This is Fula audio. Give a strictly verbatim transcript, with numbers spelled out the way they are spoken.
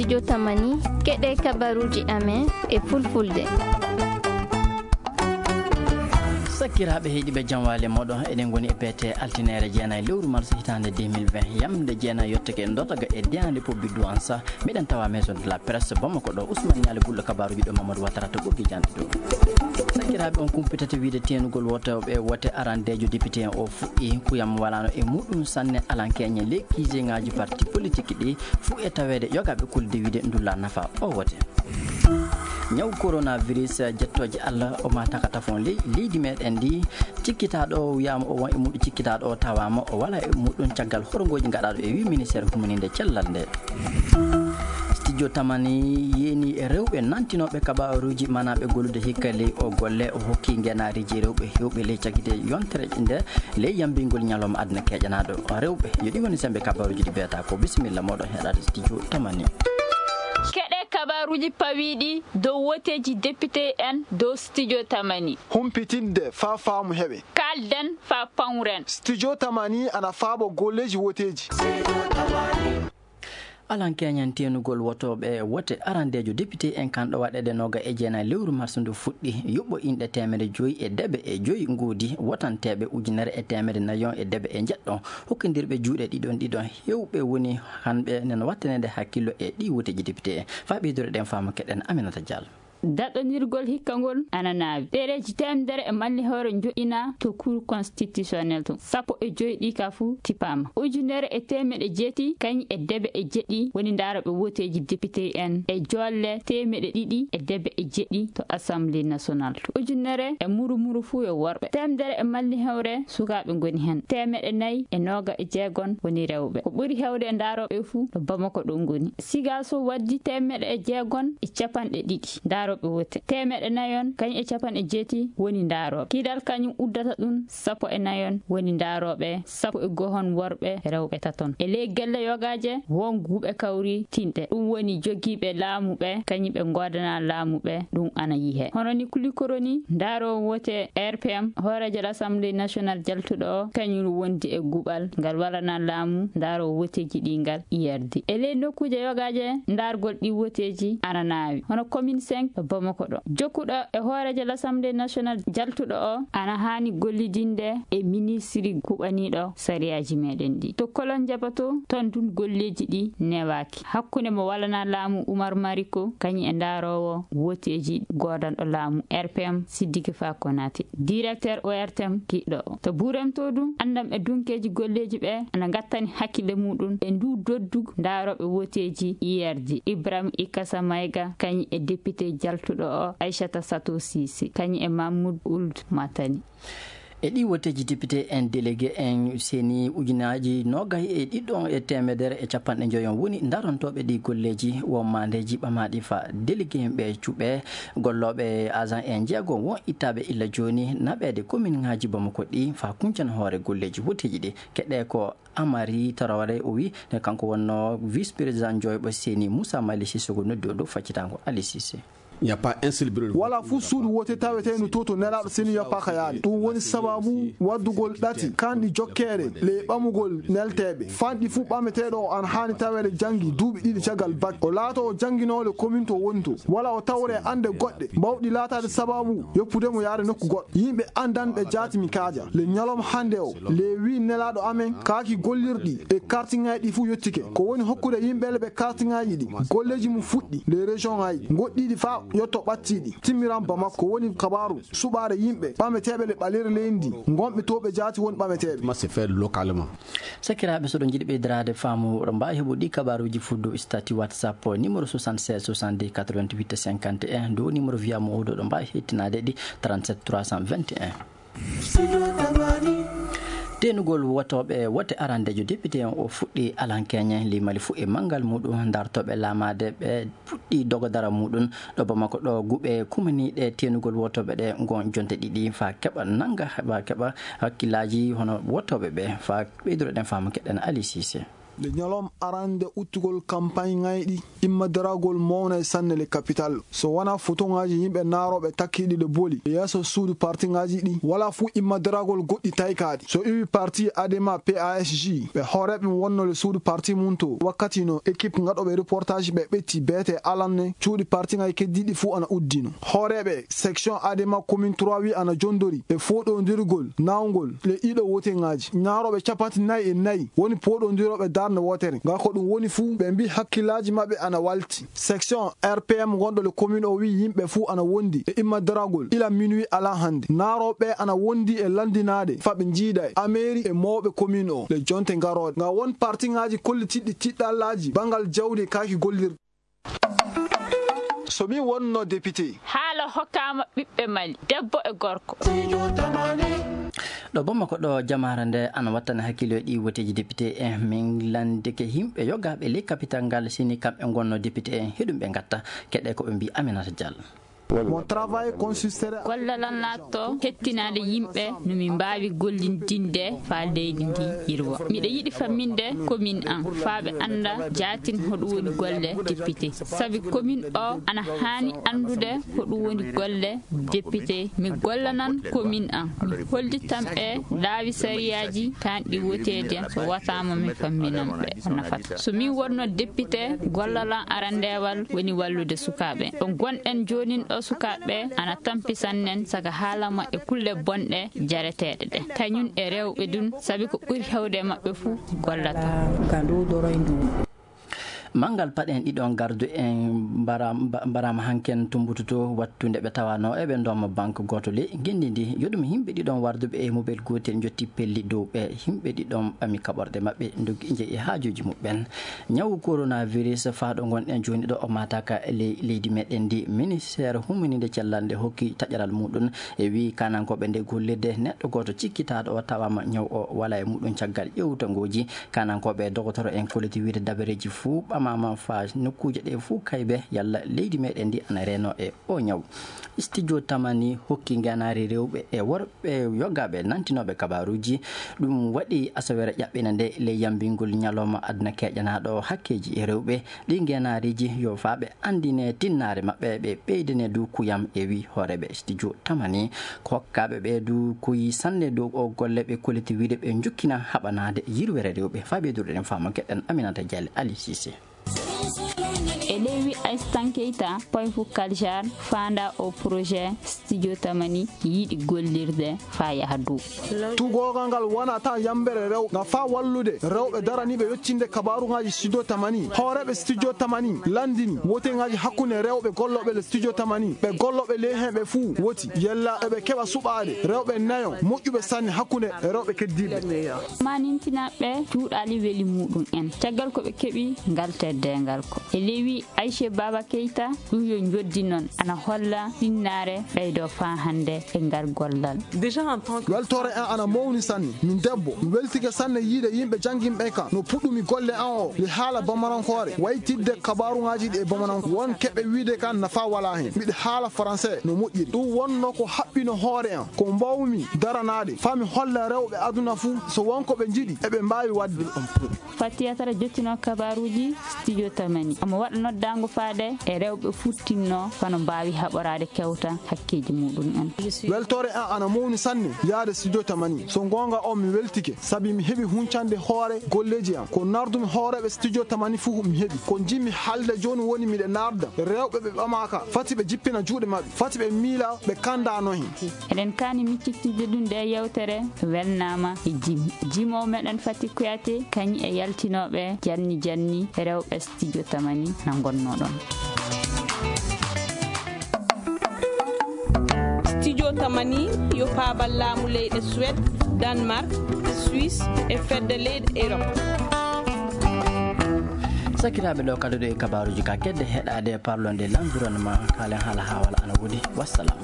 Jotamani, keɗe kabaruuji amen e fulfulde. Sakkiraaɓe heɗiiɓe, jam waale mooɗon. Eɗen ngoni e beete altineere jeenayi lewru mars hitaande deux mille vingt. Yamde jeenayi yottake en dotaga e deyaande pobbi duwansa. Miɗen tawa maison de la presse Bamako ɗo. Ousmane Nialy gulɗo kabaruuji ɗo, Mamadou Watara to ɓoggi jande ɗo. Sakkiraaɓe, on kumpitata wiide teenugol wotooɓe wote arandeejo député en o fuɗɗi. Kuyam walaano e muɗum sanne alankeeñe ley kiiseŋaaji parti politique ɗi fuu e taweede yogaaɓe kulde wiide ndulla nafa o wote. Ñaw coronavirus, jettooje Allah, o ma takatafon ley leydi meɗen ndi. Cikkitaaɗo o wiyaama o won e muɗum, cikkitaaɗo o tawaama o wala e muɗum. Caggal horongooji gaɗaaɗo e wi ministère humaninde cellal nde. Studio Tamani yeeni e rewɓe nantinooɓe kabaruuji manaaɓe gollude hikka ley o golle. O hokki ngenaariji rewɓe hewɓe ley cagite yontere nde ley yambingol ñalawma aduna keƴanaaɗo rewɓe. Yo ɗi woni sembe kabaruuji ɗi beeta ko. Bisimilla mooɗon heɗaade Studio Tamani. Keɗe kabaruuji pawiiɗi dow woteeji député en dow Studio Tamani. Humpitinde faa faamu heɓe. Kaalden faa pawren. Studio Tamani ana faabo golleeji woteeji. Alankeeñen teenugol wotooɓe wote arandeejo député en kan ɗo waɗeede nooga e jeenayi lewru mars ndu fuɗɗi. Yuɓɓo inɗe teemedde joyi e deɓe e joyi ngoodi, wotanteeɓe ujunere e teemedde nayon e deɓe e njeɗɗon, hokkindirɓe juuɗe ɗiɗon ɗiɗon. Hewɓe woni hanɓe nena wattaneede hakkillo e ɗi woteeji député en. Faa ɓeydude ɗen faamu keɗen Aminata Diallo. Daɗɗondirgol hikka ngol ana naawi. Ɗereeji teemedere e malli hewre njoƴƴinaa to Cour constitutionnelle to. Sappo e joy ɗi ka fuu tippaama. Ujunere e teemeɗe jeetati kañ e deɓe e jeɗɗi woni ndaarooɓe woteeji député en e jolle teemeɗe ɗiɗi e deɓe e jeɗɗi to Assemblée nationale to. Ujunere e muru muru fuu yo worɓe. Teemedere e malli hewre sukaaɓe ngoni hen. Teemeɗe nayi e nooga e jeegon woni rewɓe. Ko ɓuri hewde e ndaarooɓe fuu to Bamako ɗo ngoni. Sigaso waddi teemeɗe e jeegon e capanɗe ɗiɗi ndaarooɓe wote. Teemeɗe nayon kañ e capanɗe jeetati woni ndaarooɓe. Kidal kañum uddata ɗum sappo e nayon woni ndaarooɓe. Sappo e gohon worɓe, rewɓe taton. E ley gelle yogaaje won guuɓe kawri tinɗe. Ɗum woni jogiiɓe laamu ɓe, kañum ɓe ngoodana laamu ɓe, ɗum ana yihe. Hono ni kulikoro ni, ndaaroowo wote R P M, hooreejo l'Assemblée nationale jaltuɗo o, kañum wondi e guɓal ngal walana laamu ndaaroowo woteeji ɗi ngal I R D. E ley nokkuuje yogaaje, ndaargol ɗi woteeji ana naawi. Hono commune cinq Bamako ɗo. Jokkuɗo e hooreejo l'Assemblée nationale jaltuɗo o, ana haani gollidinde e ministiri kuɓaniiɗo sariyaaji meɗen ɗi. To Kolon Jaba to, ton tun golleeji ɗi newaaki. Hakkunde mo walana laamu Umar Mariko, kañum e ndaaroowo woteeji goodanɗo laamu R P M Sidiki Fa Konate, directeur O R T M kiɗɗo o. To Burem to ɗum, anndam e dunkeeji golleeji ɓe ana ngattani hakkille muɗum e ndu doddu ndaarooɓe woteeji I R D. Ibrahim Ikasa Mayga, kañum e député jaltuɗo o, Aissata Sato Sise, kañum e Mahmoud Ould Matani. E ɗi woteeji député en délégué en seni ujunaaji noogay e ɗiɗon e teemedere e capanɗe njoyon woni ndarantooɓe ɗi golleeji won maandeeji ɓamaaɗi fa délégué en ɓe cuɓe gollooɓe agent en jeego won ittaaɓe illa jooni naɓeede commune ŋaaji Bamako ɗi fa kuñcan hoore golleeji woteeji ɗi. Keɗe ko Amari Traoré o wi ne kanko wonno vice président joyɓo seni Moussa Mali Sissoko noddi o dow faccitango Ali Cissé. Il n'y a pas un seul bureau de vote. Wala fuu suudu wote taweteendu to to nelaaɗo seni yoppaaka yaade. Ɗum woni sababu waddugol ɗati kanɗi jokkeede le ɓamugol nelteeɓe. Fanɗi fuu ɓameteeɗo o ana haani taweede janngi duuɓi ɗiɗi caggal bak. O laato o jannginooɗo commune to woni to. Wala o tawre annde goɗɗe bawɗi laataade sababu yoppude mo yaade nokku goɗɗo. Yimɓe anndan ɓe jaati mi kaaja. Le ñalawma hannde o, le wi nelaaɗo amen kaaki gollirɗi e kartiŋaaji ɗi fuu yottike. Ko woni hokkude yimɓe le ɓe kartiŋaaji ɗi, golleeji mum fuɗɗi le région ŋaaji goɗɗiiɗi faa yotto ɓattiiɗi. Timmiran Bamako ko woni kabaaru suɓaade yimɓe ɓameteeɓe le ɓaleeri leydi ndi, ngonɓe to ɓe jaati woni ɓameteeɓe. Comment se fait localement? Sakiraaɓe, so ɗo njiɗi ɓeydiraade faamu, ɗo mbaawi heɓude ɗi kabaaruuji fuu dow statut WhatsApp numéro soixante-seize soixante-deux quatre-vingt-huit cinquante et un, dow numéro via mo oɗo ɗo mbaawi hettinaade ɗi trente-sept trois cent vingt et un. Teenugol wotooɓe wote arandeejo député on o fuɗɗi alankeeñe, limali fuu e manngal muɗum. Ndartooɓe laamaade ɓe puɗɗi dogodara muɗum ɗo Bamako ɗo guɓe kumaniiɗe teenugol wotooɓe ɗe ngon jonte ɗiɗi faa keɓa nannga, heɓa keɓa hakkillaaji hono wotooɓe ɓe faa ɓeyduɗo ɗen faamu keɗen Ali Cissé. Nde ñalawma arande udditgol kampaañ ŋayɗi, immadaragol mawnay sanne le capital. So wonaa fotoŋaaji yimɓe naarooɓe takkiiɗi ɗe boli e yeeso suudu partiŋaaji ɗi, walaa fuu immadaragol goɗɗi taykaaɗi. So iwi parti Adema P A S J, ɓe hooreeɓe wonnoo le suudu parti mum to. Wakkati no ekip gaɗooɓe reportaaji ɓe ɓetti beete alanne cuuɗi partiŋaaji keddiiɗi fuu ana uddino. Hooreeɓe section Adema commune trois wi ana jondori e fooɗondirgol naawgol le ɗiɗo woteŋaaji. Naarooɓe capanɗe nayi e nayi woni pooɗondirooɓe darnde wootere. Ngal ko ɗum woni fuu, ɓe mbii hakkillaaji maɓɓe ana walti. Section R P M gonɗo le commune o wii yimɓe fuu ana wondi e immadaragol ila minuit ala hannde. Naarooɓe ana wondi e lanndinaade faa ɓe njiida e ameeri e mawɓe commune o le jonte garooɗe. Nga won partiŋaaji kollitiiɗi tiɗɗallaaji banngal jawdi e kaaki gollirɗe. So min wonno député. Haala hokkaama ɓiɓɓe Mali, debbo e gorko. Ɗo Bamako ɗo, jamaare nde ana wattana hakkille ɗi woteeji député en. Min lanndike yimɓe yogaaɓe ley capital ngal, sini kamɓe ngonno député en, heɗum ɓe ngatta. Keɗe ko ɓe mbii Aminata Diallo. Mon travail consisterait à Gollal an laatto hettinaade yimɓe no min mbaawi gollindinde faa leydi ndi yirwa. Miɗo yiɗi famminde commune an faa ɓe annda jaatin hoɗum woni golle député. Sabi commune o ana haani anndude hoɗum woni golle député. Mi gollanan commune an. Mi hollitan ɓe laawi sariyaaji taanɗi woteede. So wataama mi famminan ɓe ko nafata. So min wonno député, gollal an arandeewal woni wallude sukaaɓe. Ɗo ngonɗen joonin ɗo, sukaaɓe ana tampi sannen saka haala maɓɓe kulle bonɗe jareteeɗe ɗe. Kañum e rewɓe ɗum, sabi ko ɓuri heewde e maɓɓe fuu gollata. Manngal paɗe en ɗiɗon gardu en mbara-, mba-, mbaraama hanken to Mbutu to, wattu nde ɓe tawanoo eɓe ndooma banque gooto ley ngenndi ndi. Yo ɗum yimɓe ɗiɗon warduɓe e mobel gootel njotti pelli dow ɓe. Yimɓe ɗiɗon ɓami kaɓorɗe maɓɓe, ndoggi njehi haajuuji muɓɓen. Ñawu coronavirus faa ɗo ngonɗen jooni ɗo o maataaka ley leydi meɗen ndi, ministeer hummininde cellal nde hokki taƴaral muɗum e wii kaanankooɓe nde gollirde neɗɗo gooto cikkitaaɗo o tawaama ñaw o walaa e muɗum caggal ƴewtangooji. Kaanankooɓe e dogotoro en kolliti wiide dabareeji fuu ɓamaama faa nokkuuje ɗe fuu kaybe yalla leydi meɗen ndi ana reenoo e o ñaw. Studio Tamani hokki ngeenaari rewɓe e worɓe yogaaɓe nantinooɓe kabaaruuji. Ɗum waɗi asaweere ƴaɓɓina nde ley yambingol ñalawma aduna keƴanaaɗo hakkeeji e rewɓe. Ɗi ngeenaariiji yo faa ɓe anndine tinnaare maɓɓe, ɓe ɓeydane du kuyam e wii hooreeɓe studio Tamani. Ko hokkaaɓe ɓe du kuyi sanne dow o golle ɓe kolliti wiide ɓe njukkina haɓanaade yirwere rewɓe. Faa ɓeydude ɗen faamu keɗen Aminata Diallo Ali Cissé. E ley wi Aistan Keita, Poifu Kaljar, faanda o projet studio Tamani yiɗi gollirde faa yaha dow. Tugoogal ngal wonata yambere rewɓe, nga faa wallude rewɓe daraniiɓe yottinde kabaaruŋaaji studio Tamani. Hooreeɓe studio Tamani lanndini woteŋaaji hakkunde rewɓe gollooɓe le studio Tamani, ɓe gollooɓe ley heen ɓe fuu woti yella eɓe keɓa suɓaade rewɓe nayo moƴƴuɓe sanne hakkunde rewɓe keddiiɓe. Manintinaaɓe cuuɗaali weli muɗum en caggal ko ɓe keɓi ngal teddeengal ko. E ley wi Aisha Baba Keita, ɗum yo njoddi noon ana holla tinnaare ɓeydo faa hannde e ngal gollal. Déjà en tant que Weltoore an ana mawni sanne. Min debbo, mi weltike sanne yiide yimɓe jannginɓe kam no puɗɗumi golle an o. Mi haala bamarankoore, waytidde kabaaruŋaaji ɗi e bamarankoore. Won keɓe wiide kam nafa walaa heen. Miɗo haala français no moƴƴiri. Ɗum wonno ko haɓɓino hoore an. Ko mbaawmi daranaade faa mi holla rewɓe aduna fuu so won ko ɓe njiɗi eɓe mbaawi waɗde. Fatiyatara jottino kabaaruuji studio Tamani. Omo waɗa noddaango faade e rewɓe futtinnoo fano mbaawi haɓoraade kewta hakkeeji muɗum en. Weltoore an ana mawni sanne yaade studio Tamani. So goonga on mi weltike sabi mi heɓi huncande hoore golleeji am. Ko nardumi hooreeɓe studio Tamani fuu mi heɓi. Ko njiɗmi haalde jooni woni miɗe narda rewɓe ɓe ɓamaaka fati ɓe jippina juuɗe maɓɓe, fati ɓe miila ɓe kanda no heen. Eɗen kaani miccittinde ɗum nde yewtere welnaama e jim. Jimoowo meɗen Fati Kuyate kañum e yaltinooɓe janni janni rewɓe studio Tamani na ngonnoo ɗoon. Studio Tamani yo paabal laamu leyɗe Suède, Danemark, Suisse e fedde leyɗe Europe. Sakiraaɓe, ɗo kadi ɗo e kabaaruuji ka kedde heɗaade parlonde l'environnement, kaalen haala haawal ana woodi. Wassalam.